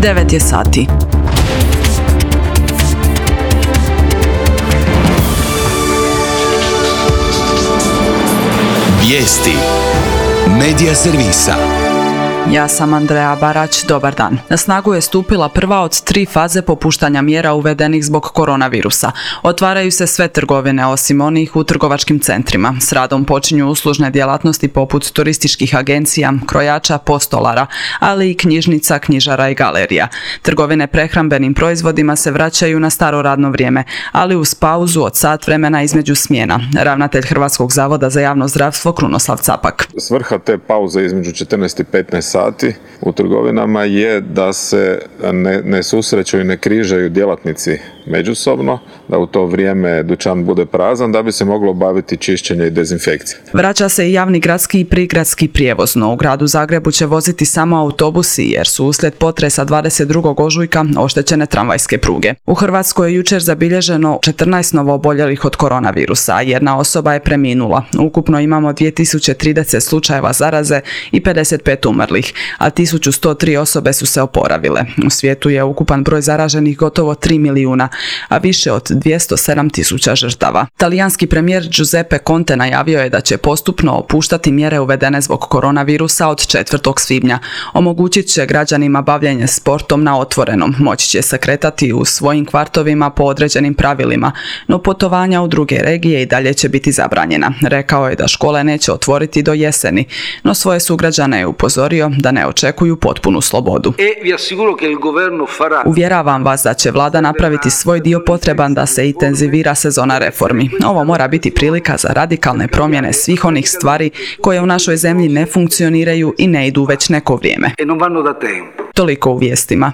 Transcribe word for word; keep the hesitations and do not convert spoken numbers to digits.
devet je sati. Vijesti Medija servisa. Ja sam Andreja Barać, dobar dan. Na snagu je stupila prva od tri faze popuštanja mjera uvedenih zbog koronavirusa. Otvaraju se sve trgovine osim onih u trgovačkim centrima. S radom počinju uslužne djelatnosti poput turističkih agencija, krojača, postolara, ali i knjižnica, knjižara i galerija. Trgovine prehrambenim proizvodima se vraćaju na staro radno vrijeme, ali uz pauzu od sat vremena između smjena. Ravnatelj Hrvatskog zavoda za javno zdravstvo Krunoslav Capak. Svrha te pauze između četrnaest i petnaest sati u trgovinama je da se ne, ne susreću i ne križaju djelatnici međusobno, da u to vrijeme dućan bude prazan, da bi se moglo obaviti čišćenje i dezinfekcija. Vraća se i javni gradski i prigradski prijevoz, no u gradu Zagrebu će voziti samo autobusi jer su uslijed potresa dvadeset drugog ožujka oštećene tramvajske pruge. U Hrvatskoj je jučer zabilježeno četrnaest novooboljelih od koronavirusa, a jedna osoba je preminula. Ukupno imamo dvije tisuće trideset slučajeva zaraze i pedeset pet umrlih, a tisuću sto tri osobe su se oporavile. U svijetu je ukupan broj zaraženih gotovo tri milijuna, a više od dvjesto sedam tisuća žrtava. Talijanski premijer Giuseppe Conte najavio je da će postupno opuštati mjere uvedene zbog koronavirusa od četvrtog svibnja. Omogućit će građanima bavljenje sportom na otvorenom, moći će se kretati u svojim kvartovima po određenim pravilima, no putovanja u druge regije i dalje će biti zabranjena. Rekao je da škole neće otvoriti do jeseni, no svoje sugrađane je upozorio da ne očekuju potpunu slobodu. Uvjeravam vas da će vlada napraviti svoj dio potreban da se intenzivira sezona reformi. Ovo mora biti prilika za radikalne promjene svih onih stvari koje u našoj zemlji ne funkcioniraju i ne idu već neko vrijeme. Toliko u vijestima.